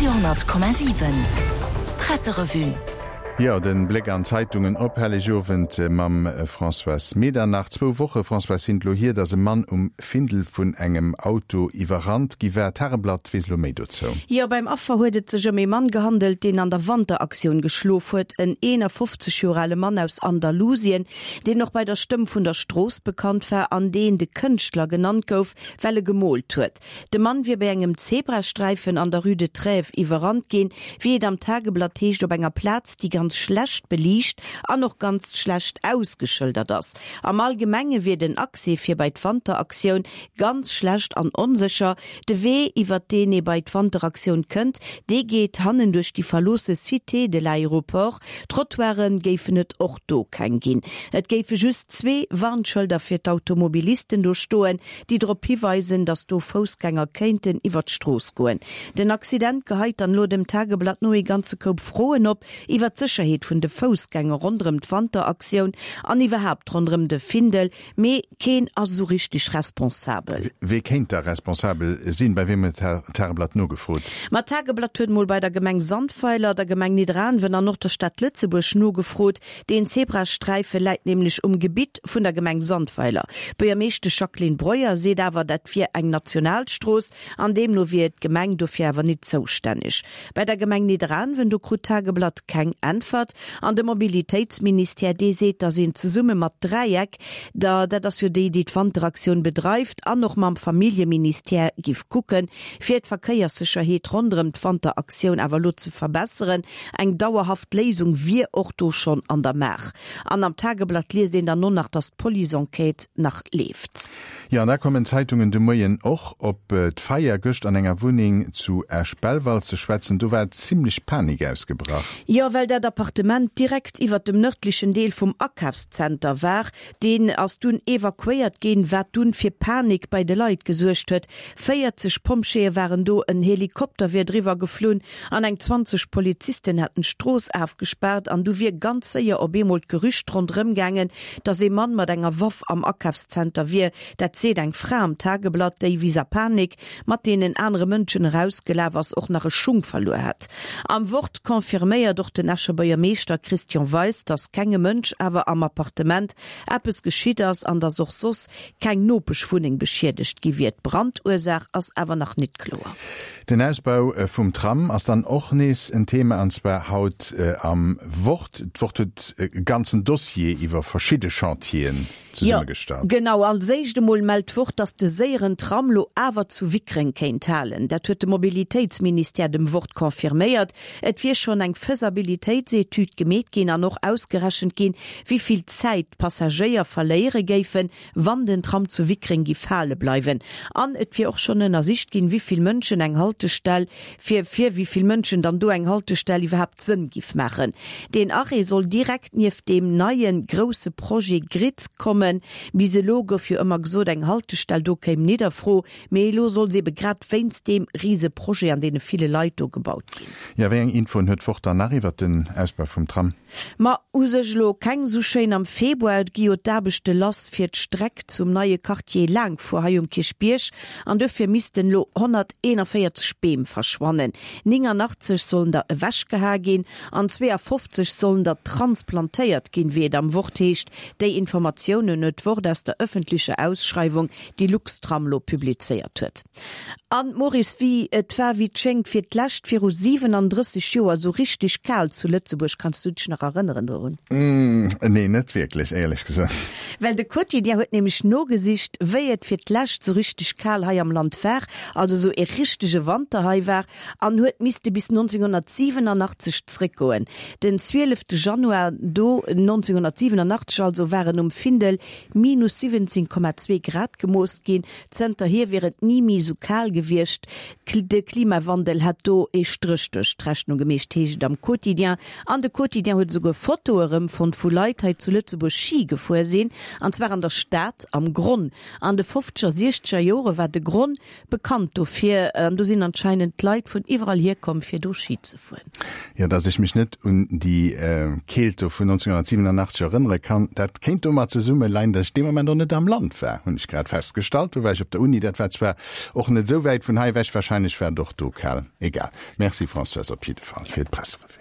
Radio,7 Presserevue. Jo, den Bléck an d'Zeitungen op Hellegowend mam Françoise Medernach. Zwou Woche, Françoise, sinn et lo hier, datt e Mann um Findel vun engem Auto iwwerrannt gi war. D'Tageblatt weess elo méi dozou. Jo, beim Affer huet et sech ëm ee Mann gehandelt, deen an der Wanteraktioun geschlof huet. En 51 Joer ale Mann aus Andalusien, deen och bei der Stëmm vun der Strooss bekannt war an deen de Kënschtler genannt gouf, well e gemoolt huet. De Mann wier bei engem Zebrasträifen an der Rue de Trèves iwwerrannt ginn, wéi et am Tageblatt heescht, op enger Plaz, déi ganz schlecht beliicht an och ganz schlecht ausgeschëldert ass. Am Allgemenge wier den Accès fir bei d'Wanteraktioun ganz schlecht an onsécher. De Wee, iwwert deen ee bei d'Wanteraktioun kënnt, dee geet hannen duerch déi verloosse Cité de l'Aéroport. Trottoiren géifen et och do keng ginn. Et géife just zwee Warnschëlder fir d'Automobilisten do stoen, déi drop hiweisen, datt do Foussgänger kéinten iwwer d'Strooss goen. Den Accident geheit dann elo dem Tageblatt no ee ganze Koup Froen op iwwer d'Sécherheet vun de Foussgänger ronderëm d'Wanteraktioun an iwwerhaapt ronderëm de Findel. Mee keen ass esou richteg responsabel. Wee kéint da responsabel sinn? Bei weem huet d'Tageblatt nogefrot? Ma d'Tageblatt huet mol bei der Gemeng Sandweiler, der Gemeng Nidderaanwen an och der Stad Lëtzebuerg nogefrot. Deen Zebrasträife läit nämlech um Gebitt vun der Gemeng Sandweiler. D'Buergermeeschtesch Jacqueline Breuer seet awer, dat wier eng Nationalstrooss an deemno wier d'Gemeng dofir awer nit zoustänneg. Bei der Gemeng Nidderaanwen, do krut d'Tageblatt keng Äntwert. An de Mobilitéitsministère, dee seet, datt een zesumme mat Dräieck, der, dat ass jo déi, déi d'Wanteraktioun bedreift, an och mam Familljeministère giff kucken, fir d'Verkéierssécherheet ronderëm d'Wanteraktioun awer elo ze verbesseren. Eng dauerhaft Léisung wier och do schonn an der Maach. An am Tageblatt liest een dann och nach, datt d'Police-Enquête nach leeft. Jo, an da kommen d'Zeitungen de Moien och op d'Feier gëscht an enger Wunneng zu Esch-Belval ze schwätzen. Do war zimmlech Panik ausgebrach. Jo, well dat Appartement direkt iwwert dem nërdlechen Deel vum Akafszenter war. Deen ass dunn evakuéiert ginn, wat dunn fir Panik bei de Leit gesuergt huet. 40 Pompjeeë waren do, en Helikopter wier driwwer geflunn an eng 20 Polizisten hätten d'Strooss afgespaart an du wier ganz séier op eemol d'Gerücht ronderëm gaangen, dass ee Mann mat enger Waff am Akafszenter wier. Dat seet eng Fra am Tageblatt, déi wéi a Panik mat deenen anere Mënschen erausgelaf ass, och nach e Schung verluer hätt. Am Wort confirméiert och den Escher Buergermeeschter Christian Weis, dass kengem Mënsch awer am Appartement eppes geschitt ass an dass och soss keng Nopeschwunneng beschiedegt gi wier. D'Brandursaach ass awer nach nit kloer. Den Ausbau vum Tram ass dann och nees en Thema, an zwar haut am Wort. D'Wort huet e ganzen Dossier iwwer verschidde Chantieren zesummegestallt. Jo, genau. Als éischt emol mellt d'Wort, datt de séieren Tram lo awer zu Wickreng kéint halen. Dat huet de Mobilitéitsministère dem Wort confirméiert. Et wier schonn eng Faisabilitéitsetüd gemeet ginn an och ausgerechent ginn, wéi vill Zäit d'Passagéier verléiere géifen, wann den Tram zu Wickreng giff hale bleiwen. An et wier och schonn ënnersicht ginn, wéi vill Mënschen eng Haltestell, fir fir wéi vill Mënschen dann do eng Haltestell iwwerhaapt Sënn giff maachen. Deen Arrêt soll direkt nieft deem neie grousse Projet Grid kommen. Bis elo gouf jo ëmmer gesot, eng Haltestell do kéim nit a Fro, mee elo soll se ebe grad wéinst deem rise Projet an deene ville Leit do gebaut ginn. Jo, wéi eng Infoen huet d'Wort dann nach iwwert den Ausbau vum Tram? Ma u sech elo keng sou schéin. Am Februar gi jo d'Aarbechte lass fir d'Streck zum neie Quartier Laangfuer hei um Kierchbierg an dofir missten elo 141 Beem verschwannen. 89 sollen der ewechgehae ginn an 52 sollen der transplantéiert ginn, wéi et am Wort heescht. Déi Informatiounen huet d'Wort aus der ëffentlecher Ausschreiwung, déi Luxtram elo publizéiert huet. An, Maurice, wéi et war, wéi et schéngt, fir d'lescht viru 37 Joer esou richteg kal zu Lëtzebuerg. Kanns du dech nach erënneren dorun? Nee, net wierklech, éierlech gesot. Well de Quotidien huet nämlech nogesicht, wéi et fir d'lescht esou richteg kal hei am Land war, also esou ee richtege Wanter hei war, an huet misste bis 1987 zréckgoen. Den 12 Januar do, 1987 also, waren um Findel minus 17,2 Grad gemooss ginn. Zënterhier wier et ni méi esou kal gewiescht. De Klimawandel hätt do ee Stréch duerch d'Rechnung gemeecht, heescht et am Quotidien. An de Quotidien huet esouguer Fotoe erëmfonnt, wou Leit hei zu Lëtzebuerg Schi gefuer sinn, an zwar an der Stad am Gronn. An de fofzeger, siechzeger Jore war de Gronn bekannt dofir, an do sinn anscheinend d'Leit vun iwwerall hierkomm, fir do Schi ze fueren. Jo, dass ech mech net un déi Keelt do vun 1987 erënnere kann, dat kéint domat zesumme leien, dass ech dee Moment och net am Land war, hunn ech grad festgestallt. Do war ech op der Uni, dat war zwar och net esou wäit vun hei ewech, wahrscheinlech war et och do kal. Egal. Merci Françoise op jidde Fall fir d'Presserevue.